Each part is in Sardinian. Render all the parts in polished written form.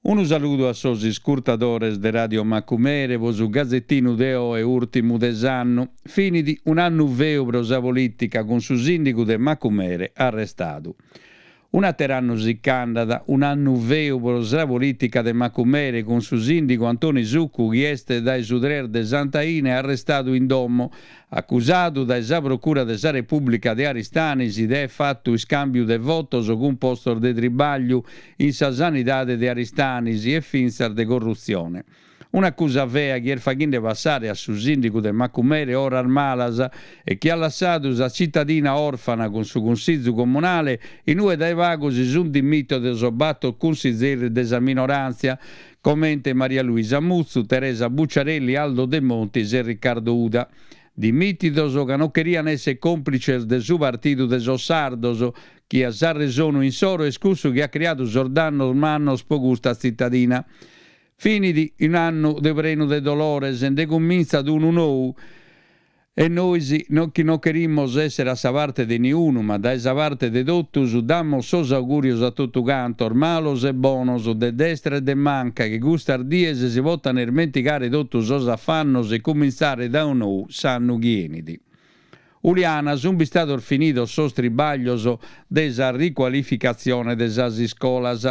Unu saludu a sos iscurtadores de Radio Macumere po su gazetinu de oe ùrtimu de s'annu. Finit un'annu feu pro sa polìtica cun su sìndigu de Macumere arrestadu. Un'àter'annu si ch'andat, un'annu feu pro sa polìtica de Macumere cun su sìndigu Antoni Succu chi est dae su tres de Sant'Aine arrestadu in domo, acusadu dae sa Procura de sa Repùblica de Aristanis de aer fatu iscàmbiu de votos cun postos de tribagliu in sa sanidade de Aristanis e fintzas de corrutzione. Un'acusa fea chi est faghende passare a su sìndigu de Macumere oras malas e chi at lassadu sa tzitadina òrfana cun su Cunsizu Comunale in ue dae pagu si sunt dimìtidos bator cunsizeris de sa minoràntzia comente Maria Luisa Mutzu, Teresa Bucciarelli, Aldo Demontis e Riccardo Uda. Dimìtidos ca non cherian èssere còmplices de su Partidu de sos Sardos chi a s'arresonu insoro est cussu chi at criadu sos dannos mannos pro custa tzitadina. Finit un'annu de prenu de dolores, nde cumintzat unu nou e nois chi non cherimos èssere a sa parte de niunu ma dae sa parte de totus damos sos augùrios a totu cantos, malos e bonos, de destra e de manca, chi custas dies si potan ismentigare totu sos afannos e cumintzare dae nou s'annu chi 'enit. Uliana, sunt bistados finidos sos tribaglios de sa ricualificatzione de sas iscolas.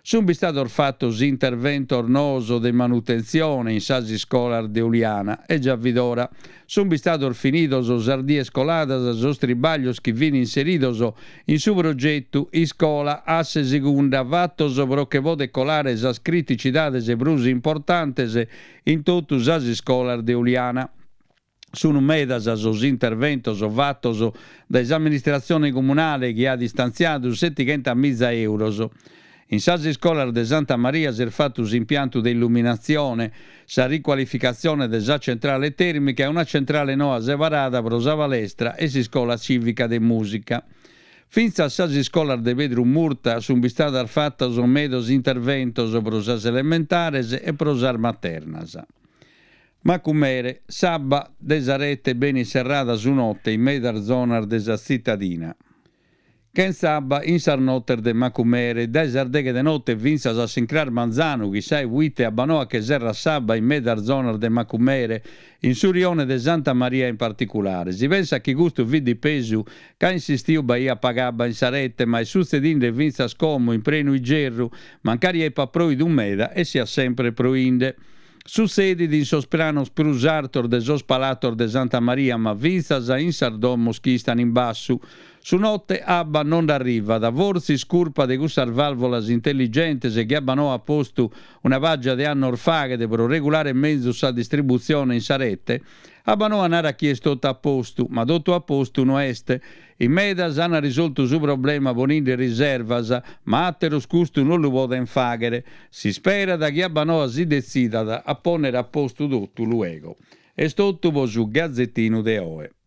Sunt bistados fatos interventos noos de manutentzione in sas iscolas de Uliana e già fit ora. Sunt bistados finidos sas dies coladas sos tribaglios chi fin inseridos in su progetu Iscola Asse Segunda fatos pro che poder colare sas criticidades prus importantes in totu sas iscolas de Uliana. Sunu medas sos interventos fatos dae s'amministratzione comunale chi at istantziadu setighentamiza euros. In sas iscolas de Santa Maria s'est fatu s'impiantu de illuminatzione, sa ricualificatzione de sa centrale tèrmica e una centrale noa separada pro sa palestra e s'iscola cìvica de mùsica. Fintzas sas iscolas de Pedru Murta sunt bistadas fatos medas interventos pro sas elementares e pro sas maternas. Macumere, s'abba de sa rete benit serrada su note in medas zonas de sa tzitadina. Chentza abba in sas notes de Macumere, dae sas deghe de note fintzas a s'incras manzanu, chissai puite Abbanoa che serrat s'abba in medas zonas de Macumere, in su rione de Santa Maria in particulare. Si pensat chi custu fit dipesu ca in s'istiu b'aiat paga abba in sa rete, ma est sutzedinde fintzas como in prenu igerru, mancari epat proidu meda e siat sempre proinde. Sutzedit in sos pranos prus artos de sos palatos de Santa Maria ma fintzas in sas domos chi istan in bassu. Su note abba non nd'arrivat, fortzis curpa de cussas valvolas intelligentes chi Abbanoa at postu una pàgia de annos faghet pro regulare menzus sa distributzione in sa rete. Abbanoa narat chi est totu a postu, ma totu a postu no est. In medas an risoltu su problema poninde riservas, ma àteros custu non lu podent fàghere. S'isperat chi Abbanoa si detzidat a pònnere a postu totu luego. Est totu pro su gazetinu de oe.